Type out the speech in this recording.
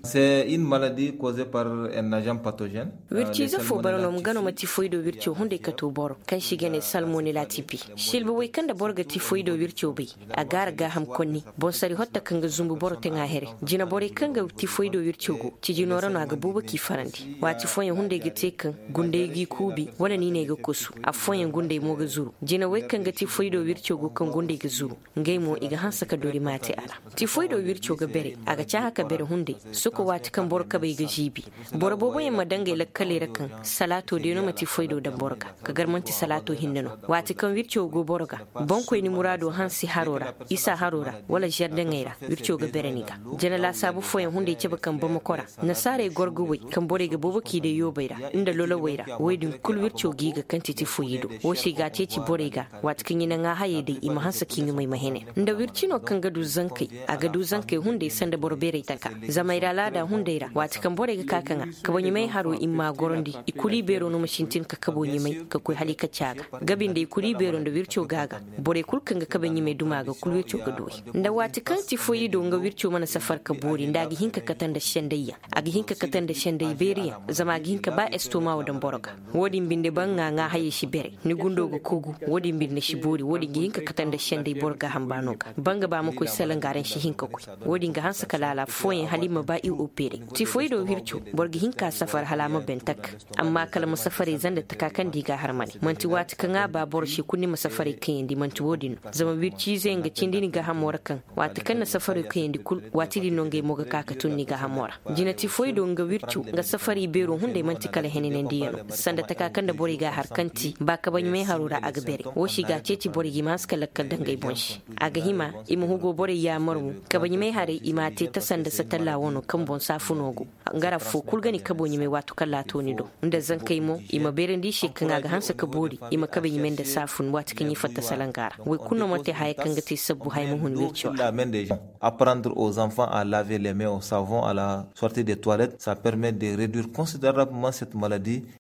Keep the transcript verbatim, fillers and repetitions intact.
C'est une maladie causée par un agent pathogène. Wirciize foo bara no nga no ma tifoydo wirco hunday kato boro kaŋ se i ga ne salmonela tipi. Silba wey kaŋ nda boro ga tifoydo wirco bay, a gaara gaaham konni. Bonsari hotta kaŋ ga zumbu boro taŋa here. Jina borey kaŋ ga tifoydo wirco go, cijino ra no a ga boobo k'i farandi. Waati fooyaŋ hunday ga te kaŋ gunday g'i kuubi, wala niiney ga kosu. Affooyaŋ gunday mo ga zuru. Jina wey kaŋ ga tifoydo wirco go kaŋ gunday ga zuru, ngey mo i ga hanse ka dori maate a ra. Tifoydo wirco ga bere, a ga caaha ka bere hunday. Soko waati kaŋ boro kabey ga ziibi, boro booboyaŋ ma daŋ ngey lakkaley ra kaŋ salaato day no ma tifoydo daŋ boro ga, ka gar man'ti salaato hinne no. Waati kaŋ wirco go boro ga, boŋkoyni muraado hansi haro ra, isa haro ra, wala zardaŋey ra, wirco ga bere ni ga. Jana laasaabu fooyaŋ hunday cabe kaŋ bamako ra, nasaarey gorgowey kaŋ borey ga boobo k'i day yoobey ra, nda lolowey ra, woodin kul wirco g'i ga kaŋ ti tifoyido. Wo se i g'a ceeci borey ga, waati kaŋ i na ŋaahayey day i ma hanse k'i ɲumay ma hene. Nda wircino kaŋ ga du zankey, a ga du zankey hunday sanda boro beeray taka. Zama i ra laada hunday ra, waati kaŋ borey ga ka ka ŋaa, kaba ɲumay haro i m'a gorandi, i kulu i beero no ma sintin ka kabo ɲumay ka koy hala i kaci a ga. Gabi nda i kulu i beero nda wirco ga a ga, borey kul kaŋ ga kabe ɲumay duma ga kul wirco ga du wey. Nda waati kaŋ tifoyido nga wirco mana safar ka boori nda a ga hin ka kate nda sendayyaŋ, a ga hin ka kate nda senday beeriyaŋ, zama a ga hin ka ba estoma wo daŋ boro ga. Wo-din binde ba ŋaa ŋaahayey si bere, ni gundo ga kogu. Wo-din binde si boori, wo-din ga hin ka kate nda senday boro gaaham baano ga. Ba nga ba ma koy salanga ra ni si hin ka koy. Wo-din ga hanse ka laala fooyaŋ hala i ma ba i opere. Tifoyido wirco, boro ga hin ka safar hala a ma ben tak. Amma kala ma safarey zanda taka kaŋ nda i ga a har mane. Man'ti waati kaŋ a ba boro se kulu ni ma safarey kayandi, man'ti wo-din no. Zama wirciizeyaŋ ga cindi ni gaahamo ra kaŋ, waati kaŋ na safarey kayandi kul, waati din no ngey mo ga ka ka tun ni gaahamo ra. Jina tifoyido nga wirco nga safari beero hunday man'ti kala henenandiyaŋ no. Sanda taka kaŋ nda borey ga a har kaŋ ti ba kabaɲumay haro ra a ga bere. Wo se i g'a ceeci borey ga i ma hanse ka lakkal daŋ ngey boŋ se. A ga hima i ma hugo borey yaamar mo, kabaɲumay harey i m'a te tasa nda satalla wano kaŋ boŋ saafuno go. Nga ra foo kul ga ni kabo ɲumay waati kaŋ laato ni do. Nda zankey mo, i ma beerandi i se kaŋ a ga hanse ka boori, i ma kabe ɲumay nda saafun waati kaŋ i fatta salanga ra. Woy kulu no ma te haya kaŋ ga te sabbu haya ma hun wirco ra. Apprendre aux enfants à laver les mains au savon à la sortie des toilettes, ça permet de réduire considérablement cette maladie.